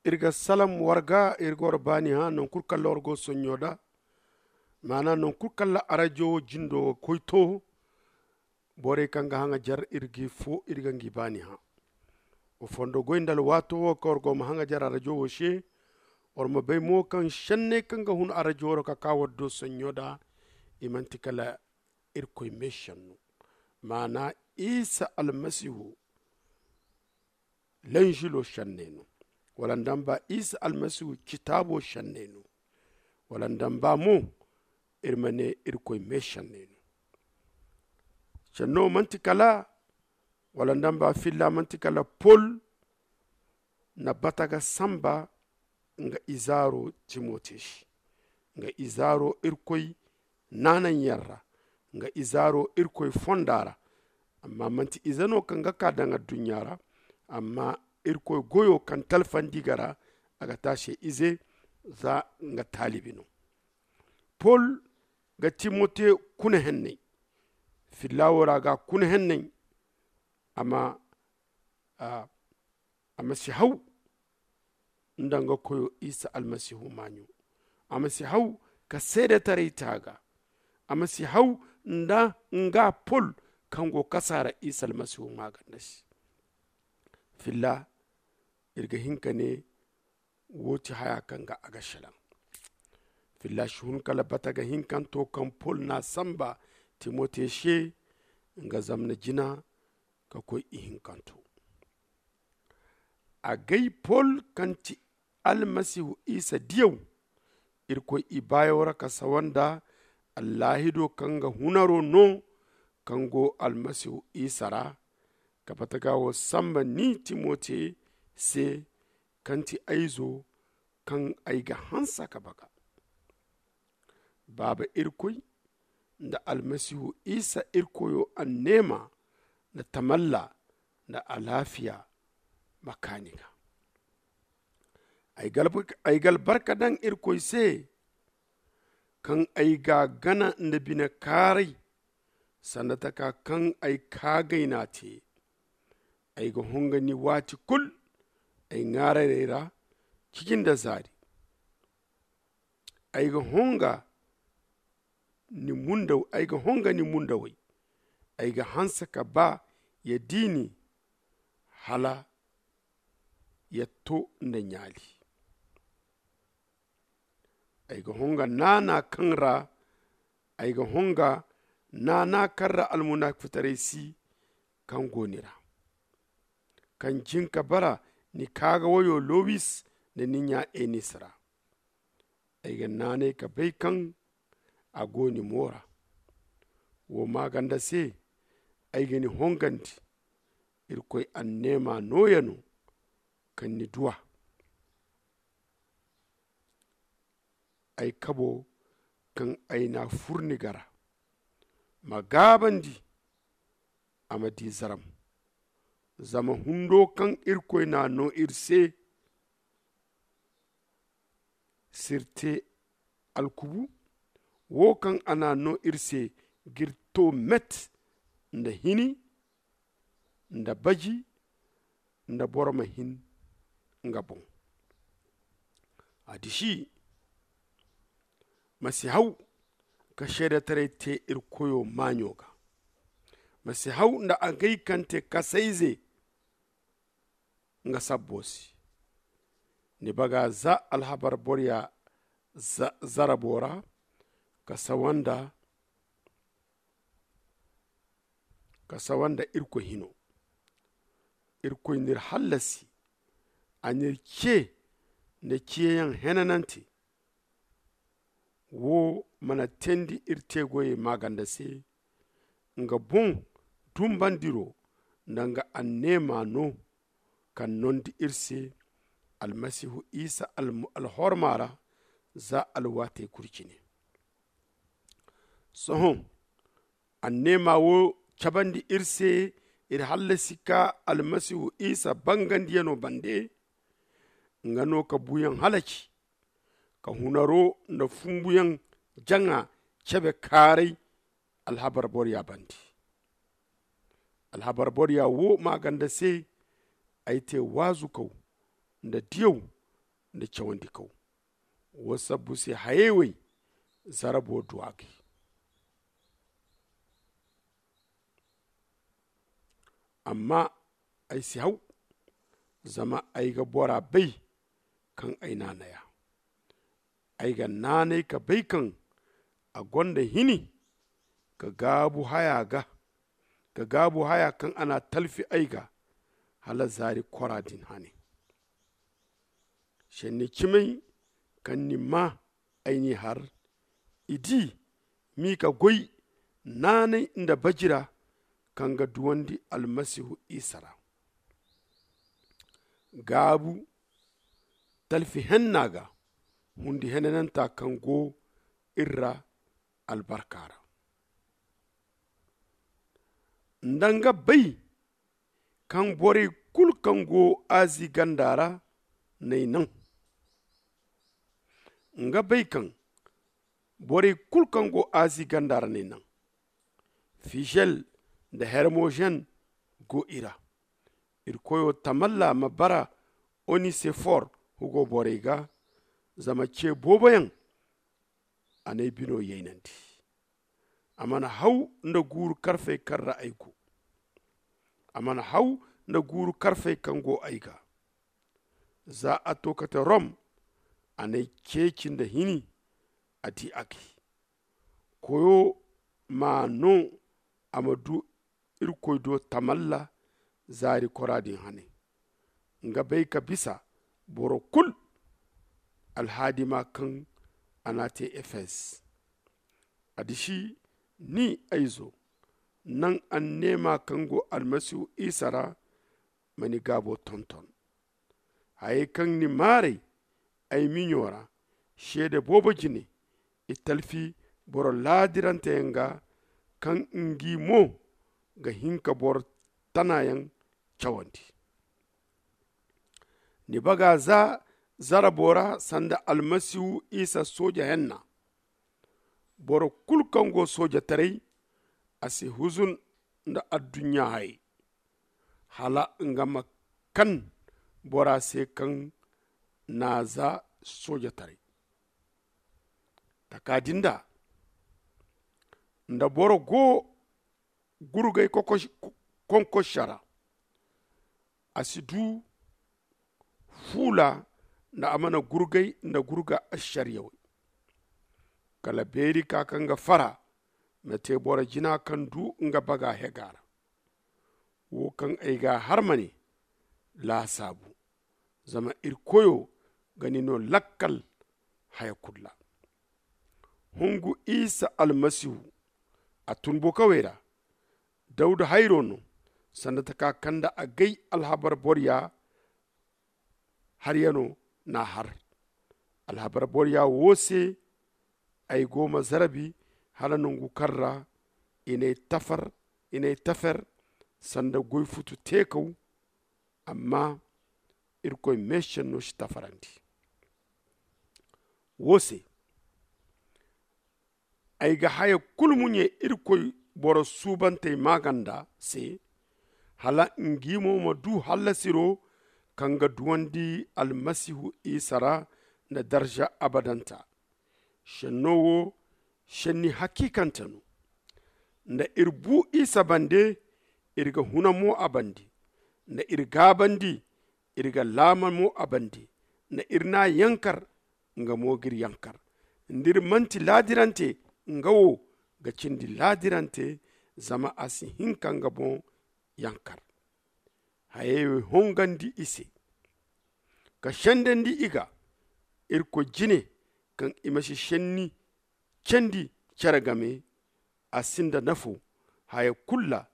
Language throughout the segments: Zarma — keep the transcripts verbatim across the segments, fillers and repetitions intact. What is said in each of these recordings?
Iri ga salam war ga, iri ga war baani hã non kulu kaŋ ra war go sonɲo da. Maana non kulu kaŋ ra arajo wo jindo ga koy to, borey kaŋ ga haŋajar iri g'i fo, iri ga ngi baani hã. Wa fondo goy nda alwaato wo kaŋ war go ma haŋajar arajo wo se. War ma bay mo kaŋ senney kaŋ ga hun arajo ra ka ka war do sonɲo da, i manti kala irkoy meesenno, maana isa almasihu lanzilo senney no, wala nda nba isa almasihu citaabo senney no, wala nda nba mo iri ma ne irkoy meesenney no. Senno manti kala, wala nda nba filla manti kala pol na bata ga samba nga izaaro timote se, nga izaaro irkoy naananyaŋ ra, nga izaaro irkoy fonda ra. Amma manti ize no kaŋ ga ka daŋ adduɲɲa ra, amma irkoy goyo kaŋ talfandi ga ra, a ga te a se ize za nga taalibi no. Pol ga timote kuna henney, filla wo ra ga kuna henney. Amma a ma si haw nda nga koyo isa almasihu maaɲo. A ma si haw ka seedetaray te a ga. A ma si haw nda nga pol kaŋ go kasaara isa almasihu maaganda se. Filla iri ga hin ka ne wo ti haya kaŋ ga a ga selaŋ. Filla si hun kala bata ga hinkanto kaŋ pol n'a samba timote se nga zamna jina ka koy ihinkanto. Agay pol kaŋ ti almasihu isa diyaw, irkoy ibaayaw ra ka sawa nda allaahido kaŋ ga hunaro no kaŋ go almasihu isa ra, ka bata ga wo samba ni timote se kaŋ ti ay izo kaŋ ay ga hanse ka baga. Baaba irkoy nda almasihu isa irkoyo anneema nda tamalla nda alaafiya ma kaa ni ga. Ay ga albarka daŋ irkoy se kaŋ ay ga a gana nda bine kaaray sanda taka kaŋ ay kaagay n'a te. Ay ga honga ni waati kulu ay ŋaararey ra, ciji nda zaari. Ay ga honga ni mundawey. Ay ga hanse ka ba ya di ni hala ya to nda ɲaali. Ay ga honga naana kaŋ ra ay ga honga naana kaŋ ra almunaafitaray si kaŋ go ni ra, kaŋ jin ka bara ni kaaga wayo lowis nda ni ɲa enis ra. Ay ga naanay ka bay kaŋ a go ni mo ra. Wo maaganda se ay ga ni hongandi. Irkoy anneema nooya no kaŋ ni du a. Ay kabo kaŋ ay n'a fur ni ga ra ma gaabandi a ma di zaram. Zama hundo kaŋ irkoy n'a no iri se s'iri te alkubu wo kaŋ a n'a no iri se g'iri to met nda hini nda baji nda boro ma hin nga boŋ. A disi ma si haw ka seedetaray te iri koyo maaɲo ga. Ma si haw nda agay kaŋ te kasayze nga sabbo se. Ni baga za alhabar borya zarabo ra ka sawa nda ka sawa nda irkoy hino. Irkoy n'iri hallasi a n'iri ce nda ciyayaŋ henanante. Wo mana teendi iri teegoyey maaganda se nga boŋ dumbandiro nda nga anneema no kaŋ nondi iri se almasihu isa alhorma ra za alwaatey kulu cine. Sohõ anneema wo cabandi iri se iri hallasi ka almasihu isa bangandiyano bande. Nga no ka buuyaŋ halaci ka hunaro nda fumbuyaŋ jaŋa cebe kaaray alhabar borya bande. Alhabar borya wo maaganda se ay te waazukaw nda diyaw nda cawandi kaw. Wo sabbu se hayey wey zarabo du a gay. Amma ay si haw, zama ay ga bora bay kaŋ ay naanay a. Ay ga naanay ka bay kaŋ a gonda hini ka gaabu haya ga ka gaabu haya kaŋ a n'a talfi ay ga hala zaari kora din hane. Senni cimay kaŋ ni maa ay n'i har, i di m'i ka goy naanay nda bajira kaŋ ga duwandi almasihu isa ra. Gaabu talfi henna ga hundi henananta kaŋ go iri ra albarka ra. Nda nga bay kaŋ borey kulu kaŋ go azi ganda ra n'ay naŋ. Nga bay kaŋ borey kulu kaŋ go azi ganda ra n'ay naŋ. Fijel nda hermojen go i ra. Iri koyo tamalla ma bara onisifor hugo borey ga. Zama ce booboyaŋ a n'ay bino yaynandi. A mana haw nda guuru karfey kaŋ ra ay go. A mana haw nda guuru karfey kaŋ go ay ga. Za a to kate rom, a n'ay ceeci nda hini. A di a gay. Koyo ma no a ma du irkoy do tamalla zaari kora din hane. Nga bay ka bisa boro kulu alhaadima kaŋ a n'a te efes. A disi ni ay zo, naŋ anneema kaŋ go almasihu isa ra ma ni gaabo tonton. Hayey kaŋ ni maaray ay miɲo ra seede boobo jine, i talfi boro laadiranteyaŋ ga kaŋ ngi mo ga hin ka boro tanayaŋ cawandi. Ni baga za zarabo ra sanda almasihu isa sooja henna. Boro kulu kaŋ go soojataray a si huzun nda adduɲɲa hayey, hala nga ma kan bora se kaŋ n'a za soojataray. Taka din da nda boro go gurgay konkosa ra, a si du fuula nda a mana gurgay nda gurga asariya wey. Kala beeri ka kaŋ ga fara ma te boro jina kaŋ du nga baga hega ra. Wo kaŋ ay ga a har ma ne laasaabu, zama iri koyo ga ni no lakkal haya kulu ra. Hungu isa almasihu a tun bokawey ra. Dawda hayro no sanda taka kaŋ nda a gay alhabar borya harya no n'a har. Alhabar borya wo se ay go ma zarabi hala nangu kaŋ ra i n'ay tafer sanda goy futu teekaw. Amma irkoy meesenno si tafarandi. Wo se ay ga haya kulu muɲe irkoy boro suubantey maaganda se, hala ngi mo ma du hallasiro kaŋ ga duwandi almasihu isa ra nda darza abadanta. Senno wo senni hakiikante no. Nda iri bu isa bande, iri ga huna mo a bande. Nda iri gaabandi, iri ga laama mo a bande. Nda iri n'a yankar, nga mo g'iri yankar. Nda iri manti laadirante, nga wo ga cindi laadirante, zama a si hin ka nga boŋ yankar. Hayey hongandi i se ka sendandi i ga irkoy jine, kaŋ i ma si senni candi care game. A sinda nafo haya kulu ra,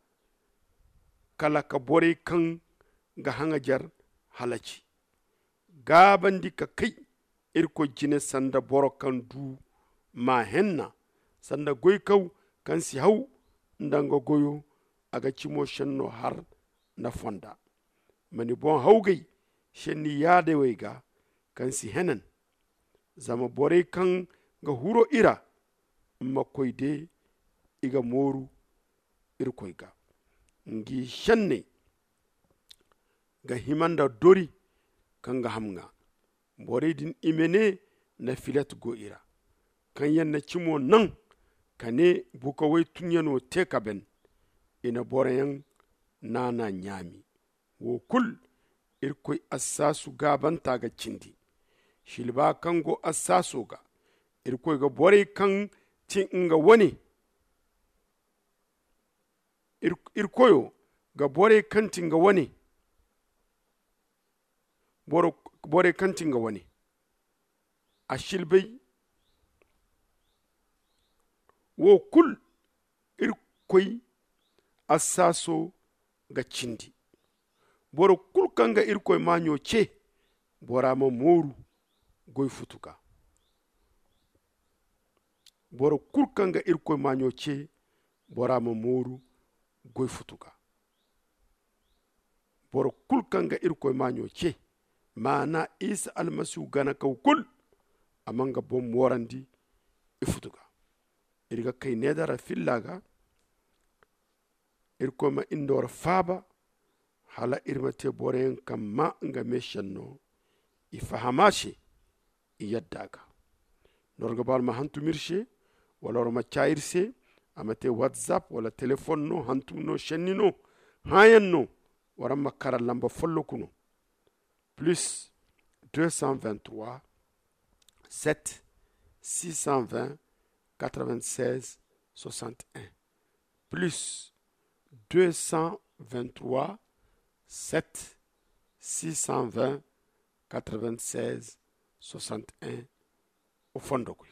kala ka borey kaŋ ga haŋajer halaci. Gaabandi ka kay irkoy jine sanda boro kaŋ du maa henna, sanda goykaw kaŋ si haw nda nga goyo. A ga cimo senno har nda fonda. Ma ni boŋ hawgay senni yaadawey ga kaŋ si henan. Zama borey kaŋ ga huro i ra, ma koy de i ga mooru irkoy ga. Ngi senney ga hima nda dori kaŋ ga ham ŋwa. Borey din i ma ne na filet go i ra, kaŋ yaŋ na cimo naŋ ka ne bukawey tunyaŋo te ka ben. I na boroyaŋ naana ɲaami. Wo kul, irkoy assaasu gaabanta ga cindi. Silba kaŋ go assaaso ga, irkoy ga borey kaŋ ti nga wane. Irkoyo ga borey kaŋ ti nga wane. Borey kaŋ ti nga wane. A silbay. Wo kul, irkoy assaaso ga cindi. Boro kul kaŋ ga irkoy maaɲo ce, bora ma mooru goy futu ga. Boro kul kaŋ ga irkoy maaɲo ce, bora ma mooru goy futu ga. Boro kul kaŋ ga irkoy maaɲo ce, maana isa almasihu ganakaw kul, a ma nga boŋ moorandi i futu ga. Iri ga kay needara filla ga. Irkoy ma indoora faaba, hala iri ma te boroyaŋ kaŋ maa nga meesenno, i faham a se, i yadda a ga. Nor ga ba war ma hantum iri se, wala war ma caa iri se. A ma te whatsapp wala telefon no, hantum no, senni no, hãayaŋ no. War ma kara lamba folloku no. Plus deux cent vingt-trois, sept, six cent vingt, quatre-vingt-seize, soixante et un. Plus deux cent vingt-trois, sept, six cent vingt, quatre-vingt-seize, soixante et un. O fondo koy.